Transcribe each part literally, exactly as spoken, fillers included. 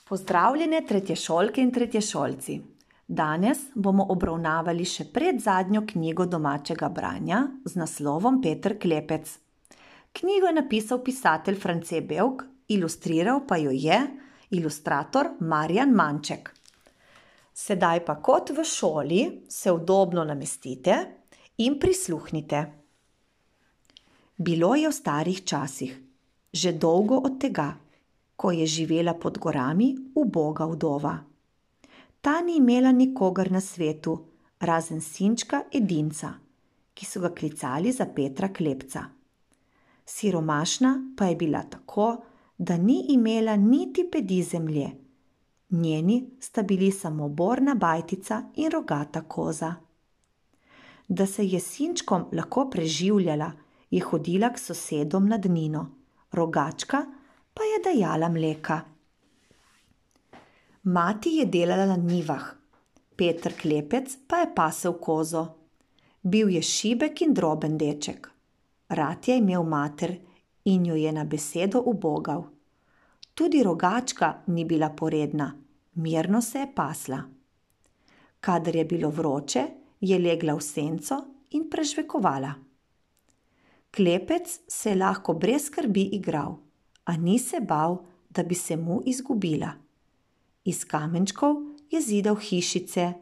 Pozdravljene tretješolke in tretješolci. Danes bomo obravnavali še predzadnjo knjigo domačega branja z naslovom Peter Klepec. Knjigo je napisal pisatelj France Bevk, ilustriral pa jo je ilustrator Marjan Manček. Sedaj pa kot v šoli se udobno namestite in prisluhnite. Bilo je v starih časih, že dolgo od tega, ko je živela pod gorami uboga vdova. Ta ni imela nikogar na svetu, razen sinčka edinca, ki so ga klicali za Petra Klepca. Siromašna pa je bila tako, da ni imela niti pedi zemlje. Njeni sta bili samo borna bajtica in rogata koza. Da se je sinčkom lahko preživljala, je hodila k sosedom na Dnino, rogačka pa je dajala mleka. Mati je delala na njivah, Peter Klepec pa je pasel kozo. Bil je šibek in droben deček. Rad je imel mater in jo je na besedo ubogal. Tudi rogačka ni bila poredna, mirno se je pasla. Kadar je bilo vroče, je legla v senco in prežvekovala. Klepec se je lahko brez skrbi igral, a ni se bal, da bi se mu izgubila. Iz kamenčkov je zidal hišice,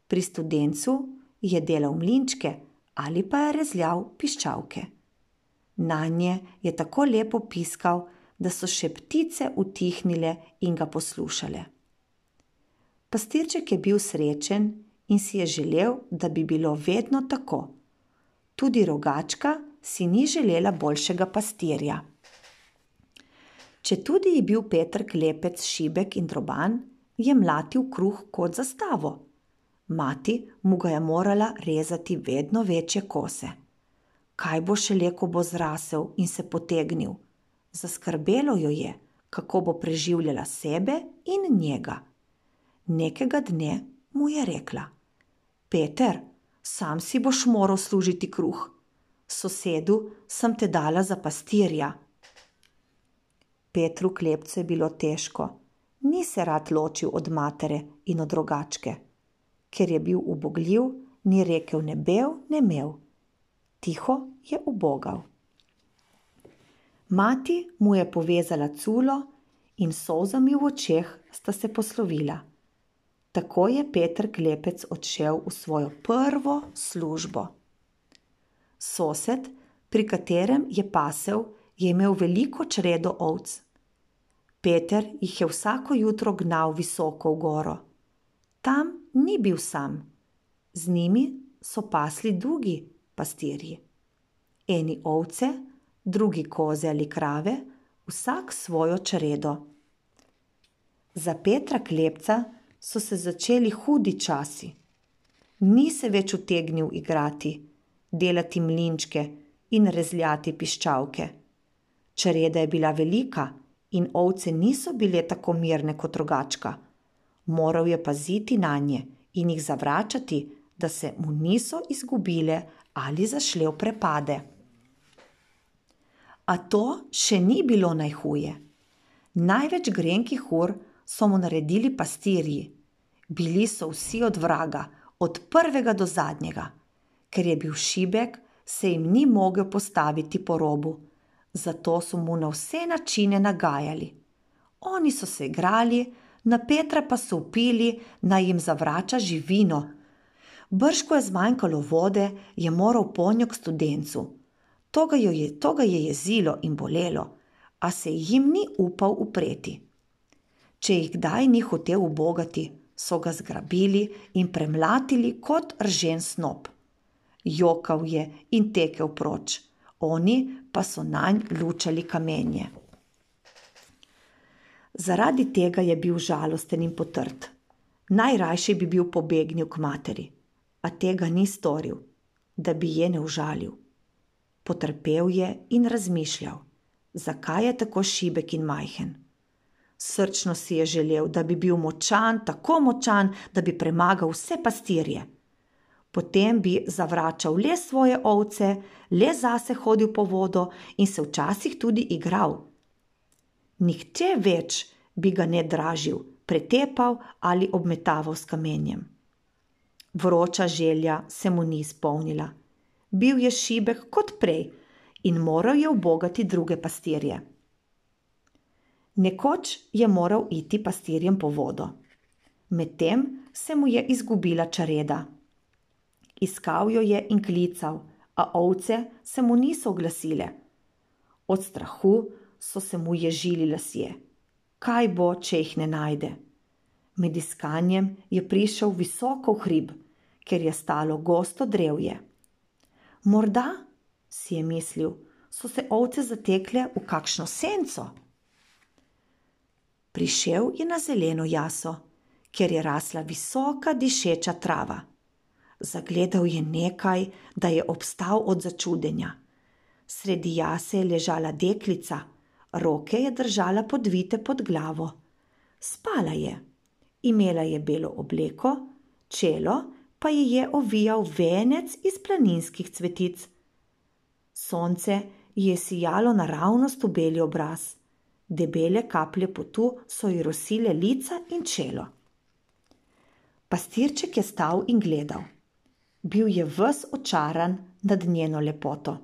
pri studencu je delal mlinčke ali pa je rezljal piščalke. Nanje je tako lepo piskal, da so še ptice utihnile in ga poslušale. Pastirček je bil srečen in si je želel, da bi bilo vedno tako. Tudi rogačka si ni želela boljšega pastirja. Četudi je bil Peter Klepec šibek in droban, je mlatil kruh kot zastavo. Mati mu ga je morala rezati vedno večje kose. Kaj bo šele, ko bo zrasel in se potegnil? Zaskrbelo jo je, kako bo preživljala sebe in njega. Nekega dne mu je rekla: Peter, sam si boš moral služiti kruh. Sosedu sem te dala za pastirja. Petru Klepcu je bilo težko, ni se rad ločil od matere in od rogačke. Ker je bil ubogljiv, ni rekel ne bev, ne mev. Tiho je ubogal. Mati mu je povezala culo in s solzami v očeh sta se poslovila. Tako je Peter Klepec odšel v svojo prvo službo. Sosed, pri katerem je pasel, je imel veliko čredo ovc. Peter jih je vsako jutro gnal visoko v goro. Tam ni bil sam. Z njimi so pasli drugi pastirji. Eni ovce, drugi koze ali krave, vsak svojo čredo. Za Petra Klepca so se začeli hudi časi. Ni se več utegnil igrati, delati mlinčke in rezljati piščalke. Čreda je bila velika in ovce niso bile tako mirne kot rogačka. Moral je paziti nanje in jih zavračati, da se mu niso izgubile ali zašle v prepade. A to še ni bilo najhuje. Največ grenkih ur so mu naredili pastirji. Bili so vsi od vraga, od prvega do zadnjega. Ker je bil šibek, se jim ni mogel postaviti po robu. Zato so mu na vse načine nagajali. Oni so se igrali, na Petra pa so vpili, naj jim zavrača živino. Brž ko je zmanjkalo vode, je moral ponjo k studencu. To ga je, to ga je jezilo in bolelo, a se jim ni upal upreti. Če jih kdaj ni hotel ubogati, so ga zgrabili in premlatili kot ržen snop. Jokal je in tekel proč. Oni pa so nanj lučali kamenje. Zaradi tega je bil žalosten in potrt. Najrajši bi bil pobegnil k materi, a tega ni storil, da bi je ne užalil. Potrpel je in razmišljal, zakaj je tako šibek in majhen. Srčno si je želel, da bi bil močan, tako močan, da bi premagal vse pastirje. Potem bi zavračal le svoje ovce, le zase hodil po vodo in se včasih tudi igral. Nihče več bi ga ne dražil, pretepal ali obmetaval s kamenjem. Vroča želja se mu ni izpolnila. Bil je šibek kot prej in moral je ubogati druge pastirje. Nekoč je moral iti pastirjem po vodo. Medtem se mu je izgubila čareda. Iskal jo je in klical, a ovce se mu niso oglasile. Od strahu so se mu ježili lasje. Kaj bo, če jih ne najde? Med iskanjem je prišel visoko v hrib, ker je stalo gosto drevje. Morda, si je mislil, so se ovce zatekle v kakšno senco. Prišel je na zeleno jaso, kjer je rasla visoka dišeča trava. Zagledal je nekaj, da je obstal od začudenja. Sredi jase je ležala deklica, roke je držala podvite pod glavo. Spala je, imela je belo obleko, čelo pa ji je ovijal venec iz planinskih cvetic. Sonce ji je sijalo naravnost v beli obraz. Debele kaplje potu so ji rosile lica in čelo. Pastirček je stal in gledal. Bil je ves očaran nad njeno lepoto.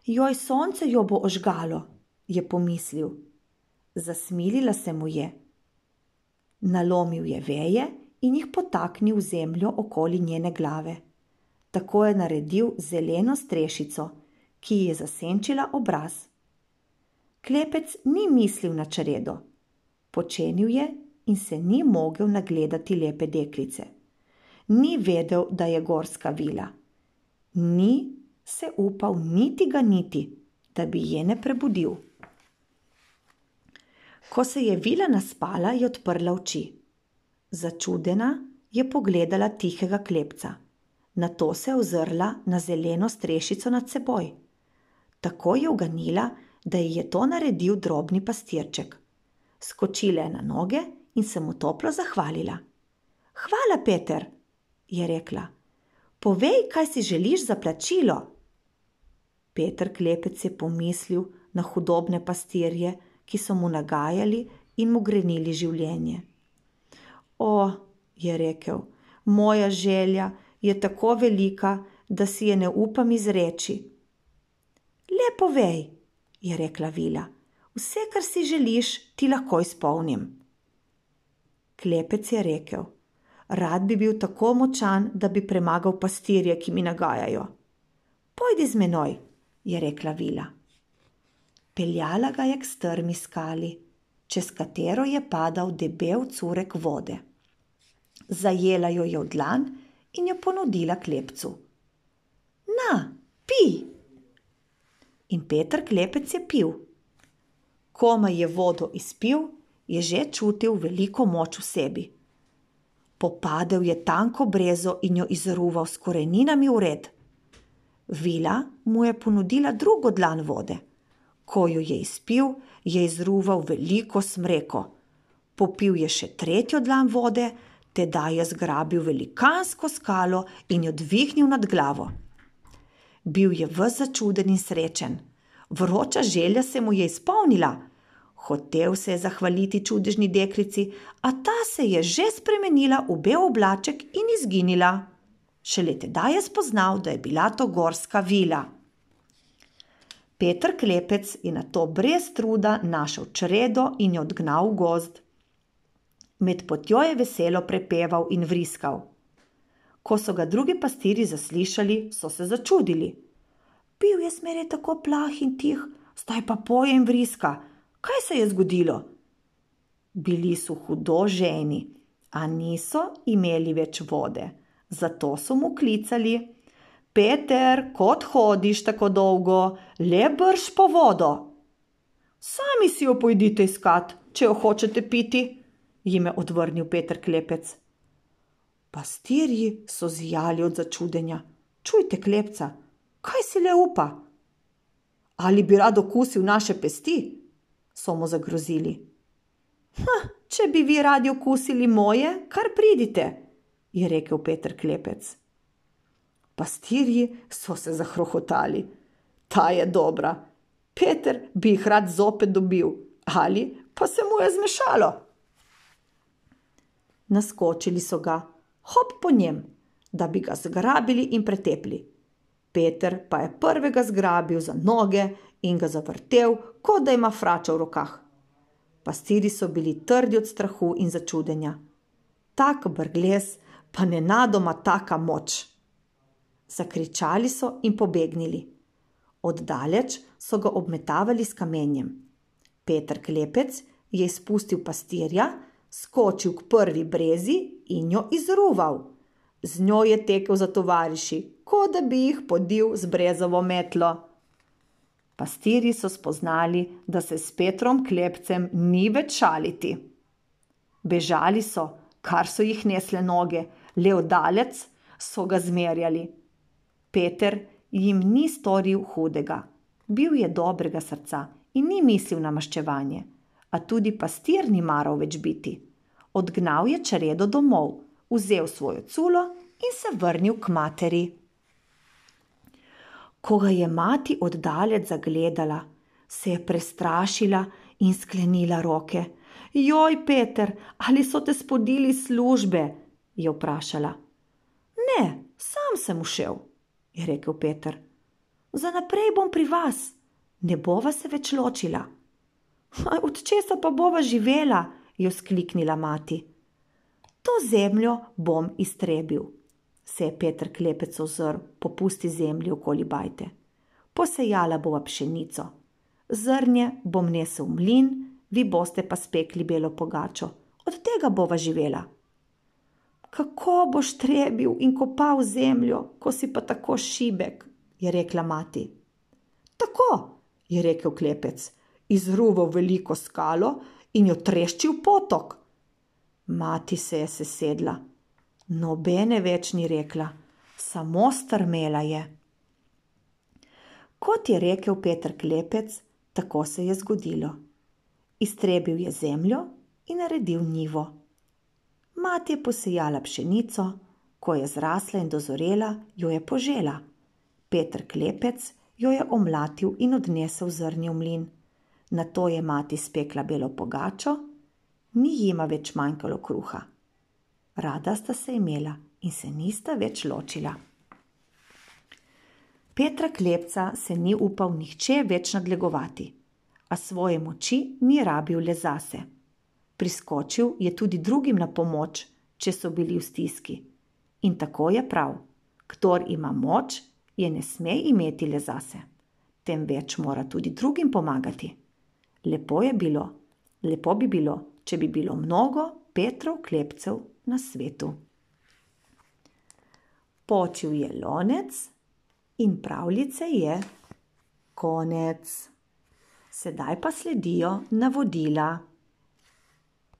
Joj, sonce jo bo ožgalo, je pomislil. Zasmilila se mu je. Nalomil je veje in jih potaknil v zemljo okoli njene glave. Tako je naredil zeleno strešico, ki ji je zasenčila obraz. Klepec ni mislil na čaredo. Počenil je in se ni mogel nagledati lepe deklice. Ni vedel, da je gorska vila. Ni se upal niti ga niti, da bi je ne prebudil. Ko se je vila naspala, je odprla oči. Začudena je pogledala tihega klepca. Nato se je ozrla na zeleno strešico nad seboj. Tako je uganila, da ji je to naredil drobni pastirček. Skočila je na noge in se mu toplo zahvalila. Hvala, Peter, je rekla. Povej, kaj si želiš za plačilo. Peter Klepec je pomislil na hudobne pastirje, ki so mu nagajali in mu grenili življenje. O, je rekel, moja želja je tako velika, da si je ne upam izreči. Le povej, je rekla vila, vse, kar si želiš, ti lahko izpolnim. Klepec je rekel, rad bi bil tako močan, da bi premagal pastirje, ki mi nagajajo. Pojdi z menoj, je rekla vila. Peljala ga je k strmi skali, čez katero je padal debel curek vode. Zajela jo je v dlan in jo ponudila Klepcu. Na, pij! In Peter Klepec je pil. Komaj je vodo izpil, je že čutil veliko moč v sebi. Popadel je tanko brezo in jo izruval s koreninami v red. Vila mu je ponudila drugo dlan vode. Ko jo je izpil, je izruval veliko smreko. Popil je še tretjo dlan vode, tedaj je zgrabil velikansko skalo in jo dvignil nad glavo. Bil je ves začuden in srečen. Vroča želja se mu je izpolnila. Hotel se je zahvaliti čudežni deklici, a ta se je že spremenila v bel oblaček in izginila. Šele tedaj je spoznal, da je bila to gorska vila. Peter Klepec je nato brez truda našel čredo in jo odgnal v gozd. Med potjo je veselo prepeval in vriskal. Ko so ga drugi pastirji zaslišali, so se začudili. Bil je zmeraj tako plah in tih, zdaj pa poje in vriska. Kaj se je zgodilo? Bili so hudo ženi, a niso imeli več vode. Zato so mu klicali: Peter, kot hodiš tako dolgo, le brž po vodo. Sami si jo pojdite iskat, če jo hočete piti, jim je odvrnil Peter Klepec. Pastirji so zijali od začudenja. Čujte, Klepca, kaj si le upa? Ali bi rad okusil naše pesti? So mu zagrozili. Ha, če bi vi radi okusili moje, kar pridite, je rekel Peter Klepec. Pastirji so se zahrohotali. Ta je dobra. Peter bi jih rad zopet dobil, ali pa se mu je zmešalo. Naskočili so ga, hop po njem, da bi ga zgrabili in pretepli. Peter pa je prvega zgrabil za noge in ga zavrtel, kot da ima fračo v rokah. Pastirji so bili trdi od strahu in začudenja. Tak brglez, pa nenadoma taka moč. Zakričali so in pobegnili. Oddaleč so ga obmetavali s kamenjem. Peter Klepec je izpustil pastirja, skočil k prvi brezi in jo izruval. Z njo je tekel za tovariši, kot da bi jih podil z brezovo metlo. Pastirji so spoznali, da se s Petrom Klepcem ni več šaliti. Bežali so, kar so jih nesle noge, le oddalec so ga zmerjali. Peter jim ni storil hudega, bil je dobrega srca in ni mislil na maščevanje, a tudi pastir ni maral več biti. Odgnal je čredo domov, vzel svojo culo in se vrnil k materi. Ko ga je mati oddalec zagledala, se je prestrašila in sklenila roke. Joj, Peter, ali so te spodili službe? Je vprašala. Ne, sam sem ušel, je rekel Peter. Za naprej bom pri vas, ne bova se več ločila. Od česa pa bova živela, je vzkliknila mati. To zemljo bom iztrebil, se je Peter Klepec ozrl po pusti zemlji okoli bajte. Posejala bova pšenico. Zrnje bom nesel v mlin, vi boste pa spekli belo pogačo. Od tega bova živela. Kako boš trebil in kopal zemljo, ko si pa tako šibek, je rekla mati. Tako, je rekel Klepec, izruval veliko skalo in jo treščil potok. Mati se je sesedla. Nobene več ni rekla, samo strmela je. Kot je rekel Peter Klepec, tako se je zgodilo. Iztrebil je zemljo in naredil njivo. Mati je posejala pšenico, ko je zrasla in dozorela, jo je požela. Peter Klepec jo je omlatil in odnesel zrnje v mlin. Nato je mati spekla belo pogačo, ni jima več manjkalo kruha. Rada sta se imela in se nista več ločila. Petra Klepca se ni upal nihče več nadlegovati, a svoje moči ni rabil le zase. Priskočil je tudi drugim na pomoč, če so bili v stiski. In tako je prav, kdor ima moč, je ne sme imeti le zase, temveč mora tudi drugim pomagati. Lepo je bilo, lepo bi bilo, če bi bilo mnogo Petrov Klepcev na svetu. Počil je lonec in pravljice je konec. Sedaj pa sledijo navodila.